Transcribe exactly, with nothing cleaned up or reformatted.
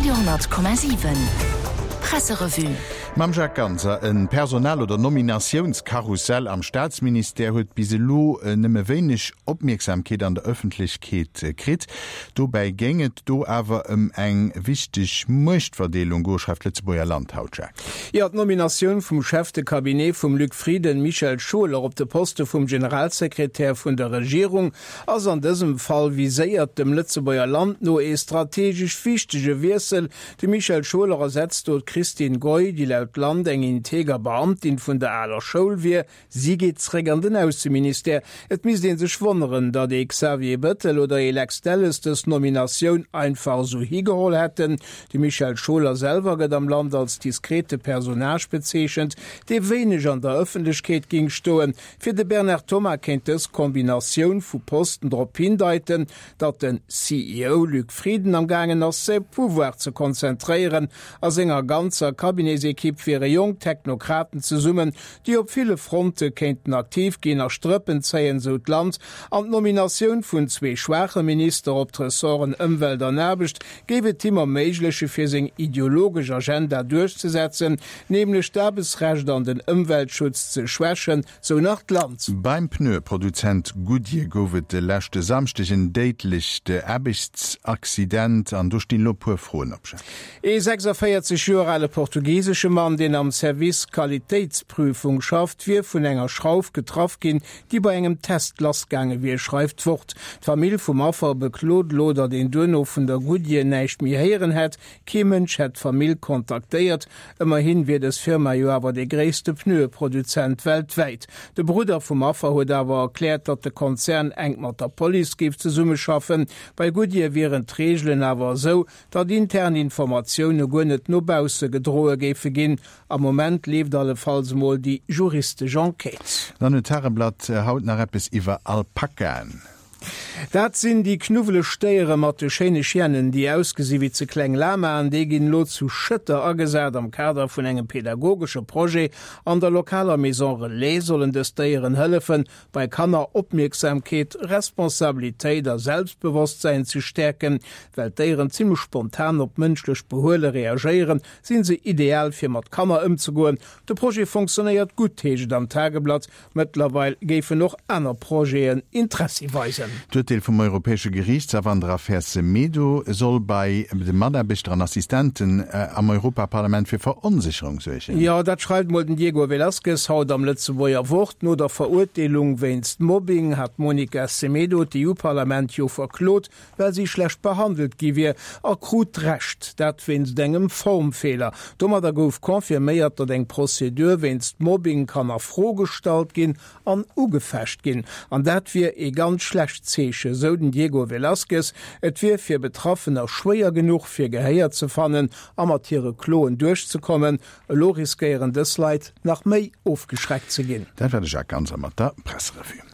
Radio honnert Komma siwen Presserevue. Mam Jacques Ganser, E Personal oder Nominatiounskarussell am Staatsministère huet bis elo nëmme wéineg Opmierksamkeet an der Ëffentlechkeet kritt. Dobäi géing et do awer ëm eng wichteg Muechtverdeelung goen, schreift d'Lëtzebuerger Land haut. Jacques. Jo, d'Nominatioun vum Chef de Cabinet vum Luc Frieden, Michel Schueller, op de Poste vum Generalsekretär vun der Regierung ass an dësem Fall viséiert, dem Lëtzebuerger Land no ee strategesch wichtege Wiessel. De Michel Schueller ersetzt do d'Christine Goy, déi laut Land eng integer Beamtin vun der aler Schoul wier. Si geet zréck an den Ausseministère. Et misst ee sech wonneren, datt ee Xavier Bettel oder ee Lex Delles dës Nominatioun einfach esou higeholl hätten. De Michel Schueller selwer gëtt am Land als diskrete Personnage bezeechent, dee wéineg an der Ëffentlechkeet géing stoen. Fir de Bernard Thomas kéint dës Kombinatioun vu Posten drop hindeiten, datt den C E O Luc Frieden am gaangen ass, säi Pouvoir ze konzentréieren. A senger ganzer Cabinetsekipp wiere jonk Technokraten zesummen, déi op ville Fronte kéinten aktiv ginn a Strëppen zéien, sou d'Land. An d'Nominatioun vun zwee schwaache Minister op d'Ressorten Ëmwelt an Aarbecht géif et him erméigleche fir seng ideologesch Agenda duerchzesetzen, nämlech d'Aarbechtsrecht an den Ëmweltschutz ze schwächen, sou nach d'Land. Beim Pneueproduzent Goodyear gouf et de leschte Samschdeg en déidlecht Aarbechtsaccident an do stinn elo e puer Froen op. Ee sechsundvéierzeg Joer ale portugisesche Mann, deen am Service Qualitéitsprüfung schafft, wier vun enger Schrauf getraff ginn, déi bei engem Test lassgaange wier, schreift d'Wort. D'Famill vum Affer beklot elo, datt een duerno vun der Goodyear näischt méi héieren hätt. Kee Mënsch hätt d'Famill kontaktéiert. Ëmmerhin wier dës Firma jo awer dee gréisste Pneueproduzent weltwäit. De Brudder vum Affer huet awer erkläert, datt de Konzern enk mat der Police géif zesummeschaffen. Bei Goodyear wieren d'Reegelen awer esou, datt intern Informatioune guer net no bausse gedroe géife ginn. Am Moment leeft allefalls emol déi juristesch Enquête. Dann huet d'Tageblatt haut nach eppes iwwer Alpakaen. Dat sinn déi knuwweleg Stéiere mat de schéine Chienen, déi ausgesi wéi ze kleng Lamaen. Déi ginn elo zu Schëtter agesat. Am Kader vun engem pedagogesche Projet an der lokaler Maison Relais sollen dës Déieren hëllefen, bei Kanner Opmierksamkeet, Responsabilitéit a Selbstbewosstsäin ze stäerken. Well d'Déieren zimmlech spontan op mënschlecht Behuele reagéieren, sinn se ideal fir mat Kanner ëmzegoen. De Projet fonctionnéiert gutt, heescht et am Tageblatt. Mëttlerweil géifen och aner Projeten Interessi weisen. D'Urteel vum Europäesche Geriichtshaff an der Affär Semedo soll bei de Mataarbechter an Assistenten am Europaparlament fir Veronsécherung suergen. Jo, dat schreift mol den Diego Velázquez haut am Lëtzebuerger Wort. No der Verurteelung wéinst Mobbing hat d'Monica Semedo d'E U-Parlament jo verklot, well si schlecht behandelt gi wier, a krut Recht, dat wéinst engem Formfeeler. Domadder gouf confirméiert, datt eng Prozedur wéinst Mobbing kann a Fro gestallt ginn an ugefecht ginn. An dat wier ee ganz schlecht Zeeche, sou den Diego Velázquez. Et wier fir Betraffener schwéier genuch, fir Gehéier ze fannen a mat hire Kloen duerchzekommen. Elo riskéieren dës Leit nach méi ofgeschreckt ze ginn. Dat war de Jacques Ganser mat der Presserevue.